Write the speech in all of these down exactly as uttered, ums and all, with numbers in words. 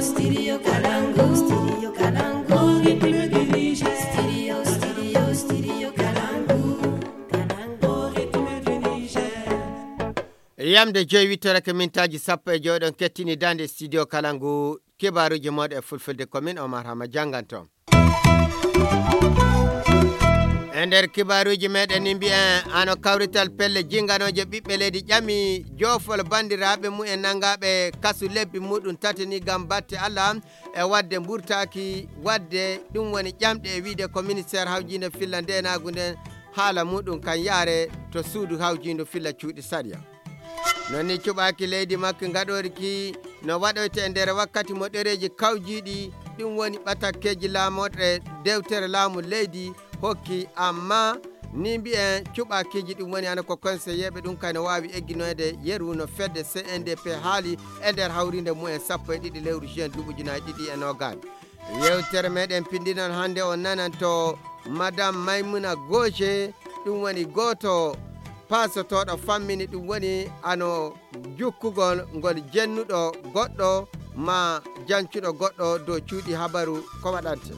Studio Kalangu, Studio Kalangu, Ritme du Niger. Studio, Studio, Studio Kalangu, Kalangu, Ritme du Niger. Yamde joyi wittorake mintaaji sappo e joyi ɗon kettini dande studio Kalangu, kibaaruuji mooɗon e fulfulde, ko min Omar Hama jannganto. E nder kibaaruuji meɗen ni mbiyen, ano kawrital pelle jinganooje ɓiɓɓe leydi ƴami joofol banndiraaɓe mum en nanngaaɓe kasu lebbi muɗum tati ni ngam batte Allah e waɗde mburtaaki, waɗde ɗum woni ƴamɗe e wiyde ko ministeer hawjiinde filla ndeenaagu nden haala muɗum kan yaare to suudu hawjiindu filla cuuɗi sariya. Non ni cuɓaaki leydi makko ngaɗoori ki no waɗoyte e nder wakkati mo ɗereeji kawjiiɗi, ɗum woni ɓatakkeeji laamorɗe dewtere laamu leydi hokki, amma ni mbiyen cuɓaakiiji ɗum woni hano ko konseyeeɓe ɗum kay no waawi egginoyde yeru no fedde C N D P haali e nder hawriinde mumen sappo e ɗiɗi lewru juin duuɓi ujunaaji ɗiɗi e noogaas. Yewtere meɗen pindinon hannde on nananto Madame Maimouna Goje, ɗum woni gooto paasotooɗo fammini ɗum woni ano jukkugol ngol jennuɗo goɗɗo ma jancuɗo goɗɗo dow cuuɗi habaru ko waɗante.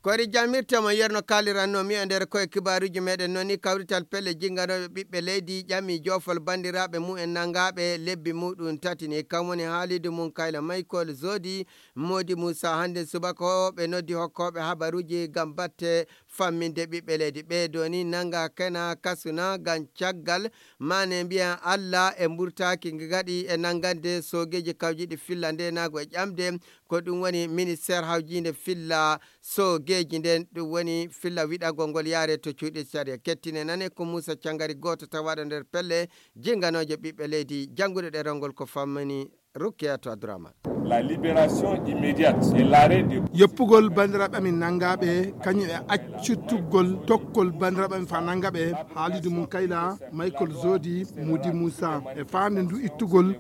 Kori jamirte mo yerno kaliranno mi e nder koye kibaaruji meɗen noni kawrital pelle jinganooɓe ɓiɓɓe leydi ƴami joofol banndiraaɓe mumen nanngaaɓe lebbi muɗum tati ni kam woni haalidu mum kayla maykol zodi. Modi Moussa hannde subaka o ɓe noddi hokkooɓe habaruuji ngam batte famminde ɓiɓɓe leydi ɓee doni nannga kena kasuna ngam caggal mane mbiyan Allah e mburtaaki ngaɗi e nanngande soogeeji kawjiiɗi filla ndeenaagu e ƴamde ko ɗum woni ministeer hawjiinde filla soogeeji nden ɗum woni filla wiɗagol ngol yaare to cuuɗi sariya kettine nane ko Moussa Cangari gooto tawaaɗo nder pelle jinganooje ɓiɓɓe leydi jannguɗo ɗerol ngol ko fammani Rukiyatou Abdourahmane. La libération immédiate et l'arrêt de Yoppugol banndiraaɓe amin nanngaaɓe kañum e accutugol tokkol banndiraaɓe amin fa nanngaaɓe haalidu mum kayla Michael Zodi Mudi Moussa e faande ndu ittugol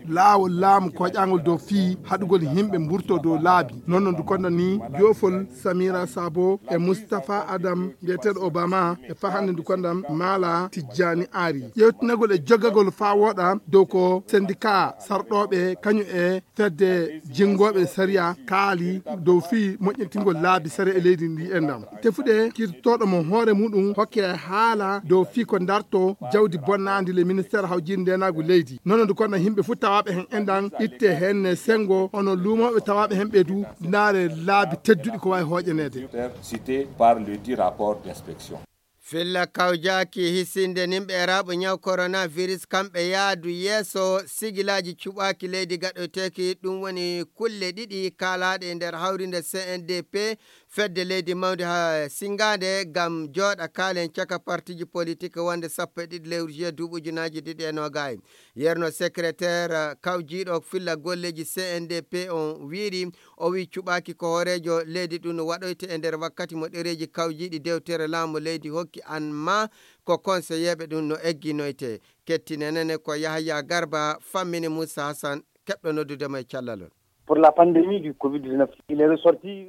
laawol laamu koƴaangol dow fii haɗugol yimɓe mburto dow laabi non no ndu konda ni joofol Samira Sabo e Moustapha Adam mbiyeteeɗo Obama e fa hannde ndu konda Mala Tijjani Ari yewtinagol e joggagol faa wooɗa dow ko syndicat sarɗooɓe kañum e fedde jinngooɓe sariya kaali dow fii moƴƴintingol laabi sariya e leydi ndi enɗam tefude kirtooɗo mo hoore muɗum hokke haala dow fii ko darto jawdi bonnaandi le ministeer hawjiinde ndeenaagu leydi nono ndu konno yimɓe fof tawaaɓe heen enɗam itte heen ne senngo hono luumooɓe tawaaɓe heen ɓe du ndaare laabi tedduɗi ko waawi hooƴaneede. Cité par le dit rapport d'inspection. Filla kawjaaki hisinde nimɓe e raaɓo ñaw coronavirus kamɓe yaadu yeeso sigilaaji cuɓaaki leydi gaɗoyteeki ɗum woni kulle ɗiɗi kaalaaɗe e nder hawrinde C N D P fedde leydi mawnde ha singaande ngam jooɗa kaalen caka partiji politik wonde sappo e ɗiɗi lewru juillet duuɓi ujunaaji ɗiɗi e noogay. Yerno secrétaire kawjiiɗo filla golleeji C N D P on wiiri o wi cuɓaaki ko hooreejo leydi ɗum no waɗoyte e nder wakkati mo ɗereeji kawjiiɗi dewtere laamu leydi hokki an ma ko konseyeeɓe ɗum no egginoyte. Kettinenene ko Yahaya Garba fammini Moussa Hassan keɓɗo noddude mo e callalol. Pour la pandémie du covid dix-neuf, il est ressorti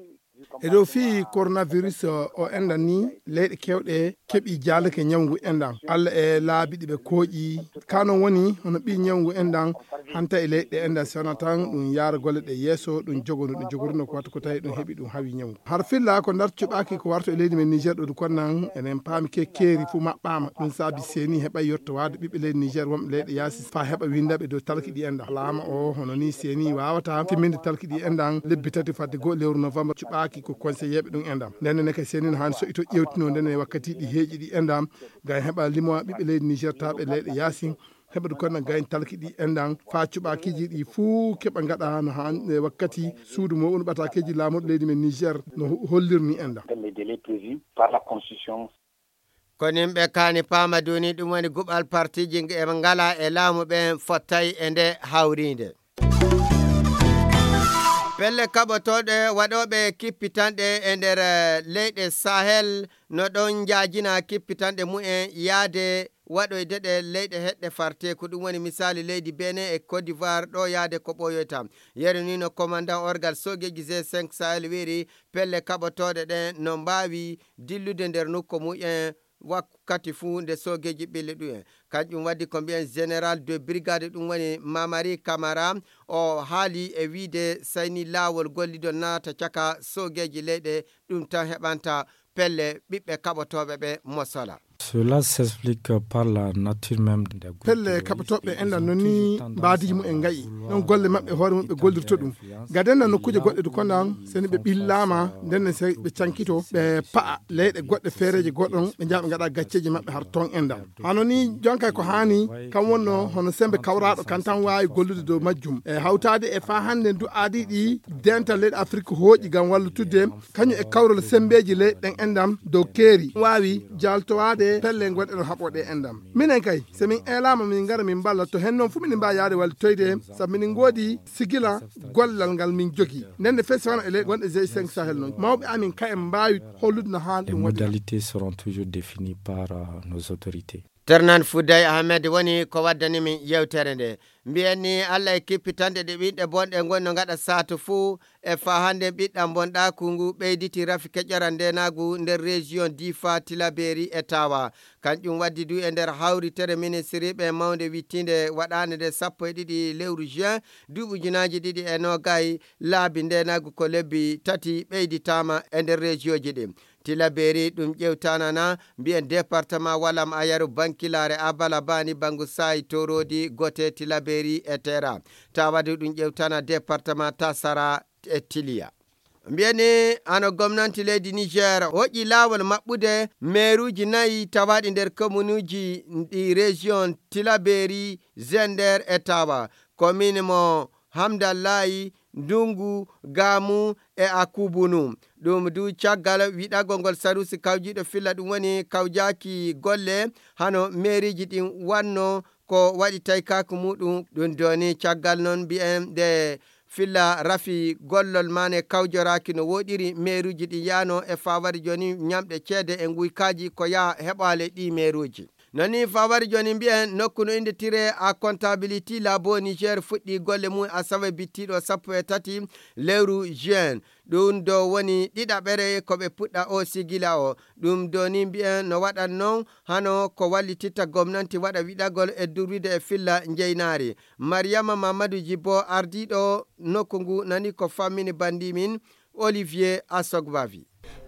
e dow fii coronavirus o enɗan ni leyɗe kewɗe keɓi jaalake ñawngu enɗan allah e laabi ɗi ɓe kooƴi ka non woni hono ɓi ñawngu enɗan hanta e leyɗe enɗan sewna tan ɗum yaara golle ɗe yeeso ɗum jogono ɗum jogorino ko watta ko tawi ɗum heɓi ɗum hawi ñawngu har filla ko ndar cuɓaki ko warto e leydi men niger ɗo du konnan enen paami kekkeri fuu maɓɓama ɗum saabi seni heɓa yettowaade ɓiɓɓe leydi niger wonɓe leyɗe yaasi fa heɓa windaɓe dow talki ɗi enɗan laama o hono ni seni wawata timminde talki ɗi enɗan lebbi tati fadde goo lewru novembre cuɓaki ko conseilleɓe ɗum enɗam ndenne ne ka seni no hani soƴito ƴewtino ndenne wakkati ɗi heeƴi ɗi enɗam gay heɓa limowa ɓiɓɓe leydi niger taɓe leyɗe yaasi heɓa du konno gayni talki ɗi enɗan fa cuɓakiji ɗi fuu keɓa gaɗa no hani e wakkati suudu mo unu ɓatakeji laamuɗo leydi men niger no hollirni enɗan. Dans les délais prévus par la constitution. Ko nimɓe kaani paama duni ɗum woni guɓal partiji e ngala e laamu ɓen fottay e nde hawrinde. Pelle kaɓotooɗe waɗooɓe kippitanɗe e nder leyɗe sahel no ɗon njaajina kippitanɗe mumen yaade waɗoyde ɗe leyɗe heɗɗe farte ko ɗum woni misaali leydi benin e côte d'ivoire ɗo yaade ko ɓooyoyta. Yeru ni no commandant orgal soogeeji g cinq sahel wiiri pelle kaɓotooɗe ɗen no mbaawi dillude nder nokku mumen wakkati fuu nde soogeeji ɓille ɗum en. Kanjum waddi ko mbiyen général de brigade, ɗum woni Mamari Kamara, o haali e wiide sayni laawol gollidol naata caka soogeeji leyɗe, ɗum tan heɓanta pelle ɓiɓɓe kaɓotooɓe ɓe mosola. Cela s'explique par la nature même des groupes pelle terroristes kaɓotooɓe et enɗan ils ont noon ni toujours tendance mbaadiiji mum en à ngayi vouloir ɗon golle maɓɓe hoore mum ɓe gollirto ɗum. Gaden nan nokkuuje goɗɗe du kondan seni ɓe ɓillaama nden ne sey ɓe cankito ɓe pa'a leyɗe goɗɗe feereeje goɗɗon ɓe njaha ɓe ngaɗa gacceeji maɓɓe har ton enɗan. Hano ni jonkay ko haani kam wonno hono sembe kawraaɗo kan tan waawi gollude dow majjum e hawtaade e faa hannde du aadii ɗi dental leyɗe Afrik hooƴi ngam wallitudde kañum e kawral semmbeeji ley ɗen enɗam dow keeri waawi jaaltowaade pelle gonɗe no haɓooɗe enɗam. Minen kay, so min eelaama min ngara min mballa to heen noon fof minen mbaawi yahde wallitoyde sabu minen ngoodi sigila gollal ngal min jogi. Nden ne fes wano e ley gonɗe g cinq sahel noon mawɓe amin ka en mbaawi hollude no haani ɗum waɗira. Modalités seront toujours définies par nos autorités. Ternan Fouday Ahmed woni ko waddani min yewtere nde. Mbiyen ni Allah e kippitanɗe ɗe ɓiɗɗe bonɗe ngoni no ngaɗa saatu fuu. E faa hannde ɓiɗɗam bonɗaaku ngu ɓeyditi rafi keƴoral ndeenaagu nder région Difa, Tilaberi e Tawa. Kanƴum waddi du e nder hawritere ministiriiɓe mawnde wittiinde waɗaande nde sappo e ɗiɗi lewru juin duuɓi ujunaaji ɗiɗi e noogay, laabi ndeenaagu ko lebbi tati ɓeyditaama e nder rejiyooji ɗi. Tilaberi ɗum ƴewtanana mbiyen département walam ayaru bankilaare abala bani bangu sayi torodi gote Tilaberi e tera. Tawadu ɗum ƴewtana département tasara e tiliya. Mbiyani hano gomnanti leydi Niger hoƴƴi laawol maɓɓude meeruuji nayi tawaaɗi nder komunuuji ɗi région Tilaberi, Zender e Tawa, komin mo Hamdallahi, Ndungu, Gamu e Akubunu. Ɗum du caggal wiɗagol ngol sarusi kawjiiɗo filla ɗum woni kawjaaki golle hano meeriiji ɗin wanno ko waɗi taykaaku muɗum. Ɗum doni caggal non mbiyen nde filla rafi gollol mane kawjoraaki no woɗiri meeruuji ɗi yaano e fawari joni ñamɗe ceede e nguykaaji ko yaha heɓaale ɗi meeruuji. Nani fawari joni mbiyen nokku no innde tire a comptabilité labo Niger fuɗɗi golle mum asawe bittiɗo sappo e tati lewru juin. Ɗum do woni ɗiɗaɓere ko ɓe puɗɗa o sigila o. Ɗum do ni mbiyen no waɗan non hano ko wallititta gomnanti waɗa wiɗagol e durwide e filla njeynaari. Mariama Mamadou Jibo ardiɗo nokku ngu nani ko fammini bandi min Olivier Asogbavi.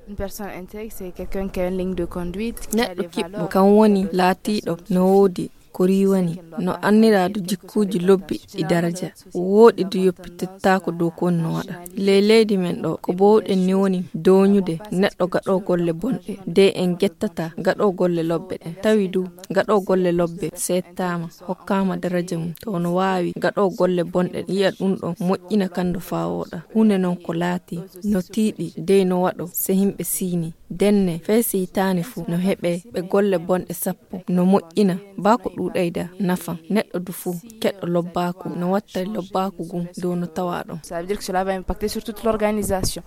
Une personne intègre, c'est quelqu'un qui a une ligne de conduite, qui a des valeurs. Neɗɗo kiɓɓo kam woni laatiiɗo no woodi ko riiwani, no anniraadu jikkuuji lobbi ɗi daraja, wooɗi du yoppitettaako dow ko woni no waɗa. Ley leydi men ɗo, ko boowɗen ni woni dooñude neɗɗo gaɗo golle bonɗe, de en gettata gaɗo golle lobbe ɗen. Tawi du gaɗo golle lobbe seettaama, hokkaama daraja mum, to no waawi gaɗo golle bonɗe, yi'a ɗum ɗon moƴƴina kando faa wooɗa. Huunde non ko laati no tiiɗi, dey no waɗo se himɓe siini. Denne, fey si hitaani fu, no heɓe ɓe golle bonɗe sappo, no moƴƴina, baa ko ɗuuɗayda nafan. Neɗɗo du fu, keɗɗo lobbaaku, no wattay lobbaaku ngun dow no tawaa ɗon. Ça veut dire que cela va impacter sur toute l'organisation.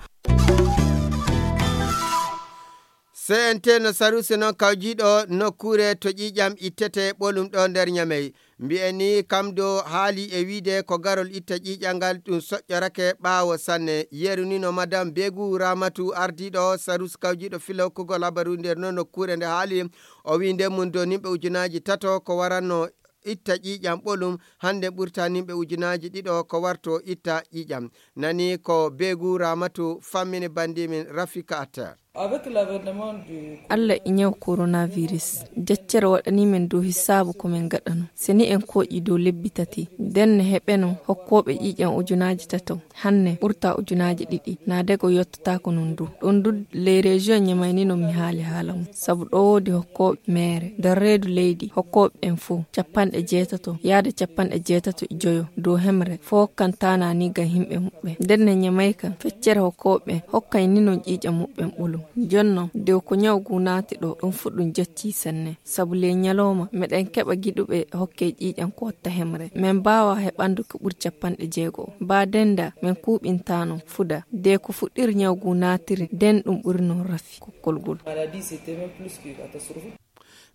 C N T no sarusi noon kawjiiɗo nokkuure to ƴiiƴam ittete ɓolum ɗo nder Ñamey. Mbi'en ni kam do haali e wiide ko garol itta ƴiiƴal ngal ɗum soƴƴorake ɓaawo sanne. Yeru ni no Madame Begu Ramatu ardiiɗo sarus kawjiiɗo fila hokkugol habaru nder noon nokkuure nde haali. O wii nden mum do nimɓe ujunaaji tato ko waranno itta ƴiiƴam ɓolum hannde ɓurta nimɓe ujunaaji ɗiɗo ko warto itta ƴiiƴam. Nani ko Begu Ramatu fammini bandi min Rafika Atter. Avec l'avènement du Allah e ñaw coronavirus, jaccere waɗanii men dow hisaabu ko men gaɗano. Se ni en kooƴii dow lebbi tati, nden ne heɓeno hokkooɓe ƴiiƴam ujunaaji tato, hanne ɓurta ujunaaji ɗiɗi, naa dego yottataako non du. Ɗum du, les régions ñamayni non mi haali haala mum, sabu ɗo woodi hokkooɓe meere, nder reedu leydi, hokkooɓe ɓen fow, capanɗe jeetato, yaade capanɗe jeetato e joyo dow hemre, fow hokkan taanaa ni ngam yimɓe muɓɓen. Nden ne ñamay kan, feccere hokkooɓe ɓen, hokkay ni non ƴiiƴam muɓɓen ɓolum. Jonnon, de ko ñaw ngu naati ɗo, ɗum fu ɗum jaccii sanne. Sabu ley ñalooma, meɗen keɓa giɗuɓe hokke ƴiiƴam ko watta hemre. Men mbaawaa heɓandu ko ɓuri capanɗe jeego. Baa dennda, men kuuɓintaano fuda. De ko fuɗɗiri ñaw ngu naatiri, nden ɗum ɓuri non rafi kokkol ngol. Maladie, c'était même plus que catastrophique.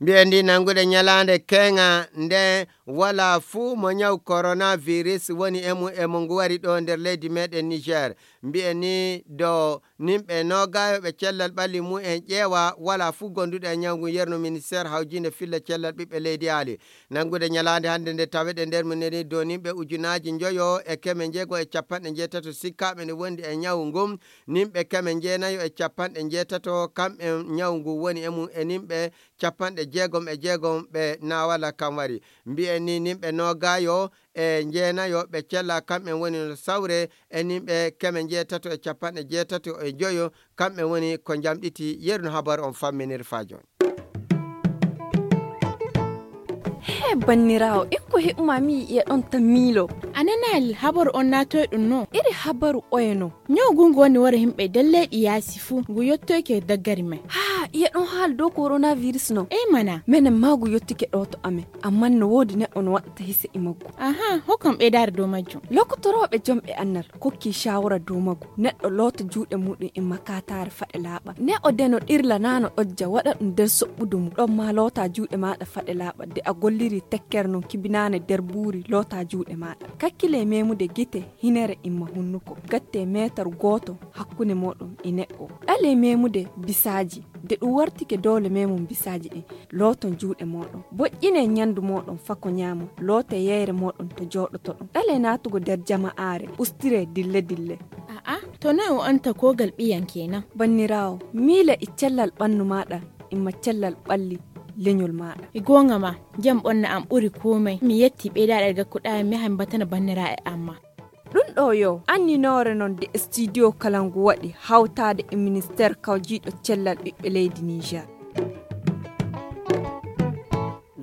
Mbiyen ni nanngude ñalaande keŋa nde wala fuu mo ñaw coronavirus woni e mum e mo ngu wari ɗo nder leydi meɗen Niger. Mbiyen ni do nimɓe nogayo ɓe cellal ɓalli mum en ƴeewa wala fuu gonduɗo e ñaw ngu yerno ministère hawjinde filla cellal ɓiɓɓe leydi aali. Nanngude ñalaande hannde nde taweɗe nder mum neni do nimɓe ujunaaji njoyo e keme njeego e capanɗe njeetato sikkaaɓe ne wondi e ñaw ngun. Nimɓe keme njeenayo e capanɗe njeetato kamɓe ñaw ngu woni e mum e nimɓe capanɗe jeegom e jeegom ɓe naawala kan wari. Mbiyen ni nimɓe nogayo e njeenayo ɓe cella kamɓe woni no sawre e nimɓe keme njeetato e capanɗe jeetato e joyo kamɓe woni ko njamɗiti. Yeru no habar on famminir fa jooni. He banniraawo, en ko heɓuma mi yi'e ɗon tan miilo. A nanaali habaru on naatoy ɗum no? Iri habaru oye no? Ñaw ngu ngu woni wara himɓe nder leyɗi yaasi fuu, ngu yottoyke daggari may. Haa, iye ɗon haala dow coronavirus no? Ey mana. Menen maa ngu yottike ɗo to amen, ammaa no woodi neɗɗo no waɗata hise e maggu. Aha, hokkam ɓeydaare dow majjum. Lokotorooɓe jomɓe annal kokki shawara dow maggu. Neɗɗo loota juuɗe muɗum e makataare faɗe laaɓa. Ne o deno ɗirla naa no ɗojja waɗa ɗum nder soɓɓudu mum. Ɗon maa loota juuɗe maaɗa faɗe laaɓa. De a golliri tekkere non kibinaane nder buuri loota juuɗe maaɗa. Kakkile memude gite, hinere imma hunnuko. Gatte meetar gooto hakkunde mooɗon e neɗɗo. Ɗale memude bisaaji. De ɗum wartike doole memum bisaaji ɗin. Looton juuɗe mooɗon. Boƴƴine ñandu mooɗon fako ñaamo. Loote yeyre mooɗon to jooɗotoɗon. Ɗale naatugo nder jama'aare. Ustire dille dille. A'a, to noy o anta kogal ɓiyan kenan? Banniraawo, miila e cellal ɓannu maaɗa, imma cellal ɓalli leñol maaɗa. E goonga ma, jam ɓonna am ɓuri komay. Mi yetti ɓeydaɗe gakkuɗa mi yaha mi batana banniraaɓe am ma. Ɗum ɗo yo anninoore non de studio kala ngu waɗi hawtaade e ministeer kawjiiɗo cellal ɓiɓɓe leydi Niger.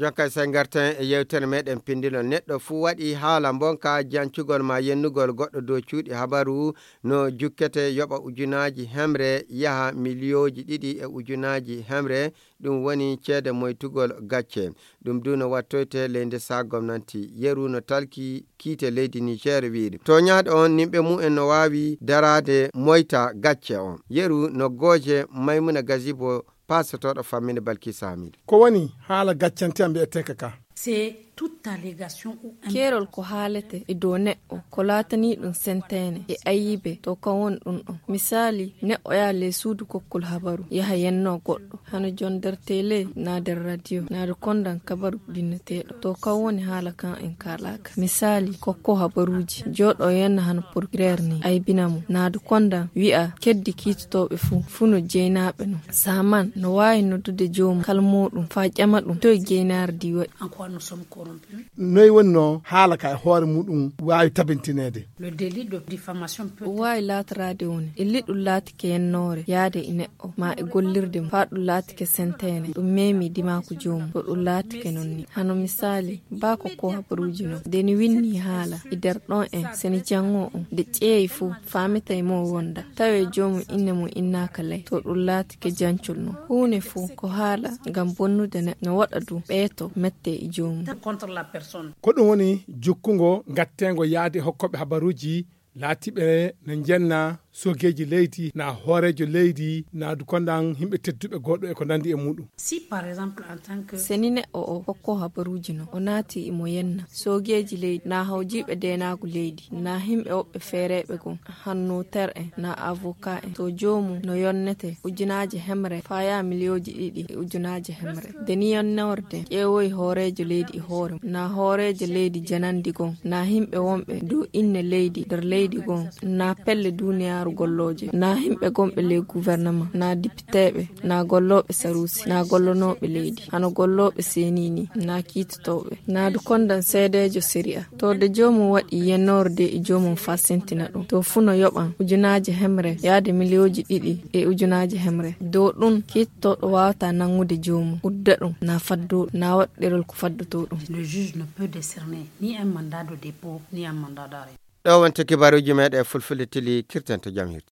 Jonka, sey ngarten e yewtere meɗen pindilol. Neɗɗo fuu waɗi haala mbonka jancugol ma yennugol goɗɗo dow cuuɗi habaru no jukkete yoɓa ujunaaji hemre yaha miliyooji ɗiɗi e ujunaaji hemre. Ɗum woni ceede moytugol gacce. Ɗum du no wattoyte ley nde saa gomnanti. Yeru no talki kiite leydi Niger wiiri. Toñaaɗo on, nimɓe mumen no waawi daraade moyta gacce on. Yeru no gooje Maymuna Gazibo, paasotooɗo famminde Balkisa Hamidu. Ko woni haala gaccante am mbi'eteeka ka? C'est toute allégation ou un... Keerol ko haalete e dow neɗɗo, ko laatanii ɗum senteene e ayibe, to kan woni ɗum ɗon. Misaali, neɗɗo yaha ley suudu kokkol habaru, yaha yennoo goɗɗo, hano jon nder tele, naa nder radio, naa du kondan kabaru ɗinneteeɗo. To kan woni haala kan en kaalaaka. Misaali, kokko habaruuji, jooɗo yenna hano procureur ni, aybina mo, naa du kondan wi'a keddi kiitotooɓe fuu, fuu no jeynaaɓe non. Saman no waawi noddude joomum kalmooɗum faa ƴama ɗum toy geynaare ndi waɗi. En quoi nous sommes corrompus? Noy woni no haala ka e hoore muɗum waawi tabintineede? Le délit de diffamation peut... Ɗum waawi laataraade woni illi ɗum laatike yennoore yaade e neɗɗo, maa e gollirde mum, faa ɗum laatike senteene, ɗum meemi dimaaku joomum, to ɗum laatike non ni. Hano misaali, baa ko ko habaruuji non. Nde ni winni haala, e nder ɗon en, seni janngoo on, nde ƴeewi fuu, faamitay mo wonda. Tawee joomum inne mum innaaka ley, to ɗum laatike jancol non. Huune fuu ko haala ngam bonnude neɗɗo, no waɗa du ɓeeto mette e joomum. Contre la personne. Ko ɗum woni jukkungo gatteengo yaade hokkooɓe habaruuji laatiiɓe no njenna soogeeji leydi, naa hooreejo leydi, naa du kondan yimɓe tedduɓe goɗɗo e ko nandi e muɗum. Si, par exemple, en tant que... Seni neɗɗo o hokko habaruuji non, o naati imo yenna soogeeji leydi, naa hawjiiɓe deenaagu leydi, naa yimɓe woɓɓe feereeɓe gon, hanno ter en, naa avocat en, to joomum no yonnete ujunaaje hemre, faa yaha miliyooji ɗiɗi e ujunaaje hemre. Nde ni yonnorde ƴeewoyi hooreejo leydi e hoore mum, naa hooreejo leydi janandi gon, naa yimɓe wonɓe du inne leydi nder leydi gon, naa pelle duuniyaaru gollooje, naa yimɓe gonɓe ley gouvernement, naa dipiteeɓe, naa gollooɓe saruusi, naa gollonooɓe leydi, hano gollooɓe seni ni, naa kiitotooɓe, naa du kondan seedeejo sariya. To de joomum waɗi yennoorde e joomum faa sentina ɗum, to fuu no yoɓan ujunaaje hemre yaade miliyooji ɗiɗi e ujunaaje hemre. Dow ɗum, kiittooɗo waawataa nanngude joomum, udda ɗum, naa faddoo ɗum, naa waɗa ɗerol ko faddotoo ɗum. Le juge ne peut décerner ni un mandat de dépôt, ni un mandat d'arrêt. Ɗo wonti kibaruuji meɗen Fulfulde Tili, kirten to jam hirti.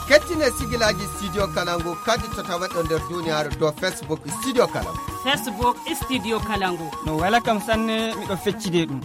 Kettine sigilaaji Studio Kalangu kadi to tawaɗo nder duniyaaru dow Facebook Studio Kalangu. Facebook Studio Kalangu. No wela kam sanne, miɗo feccide ɗum.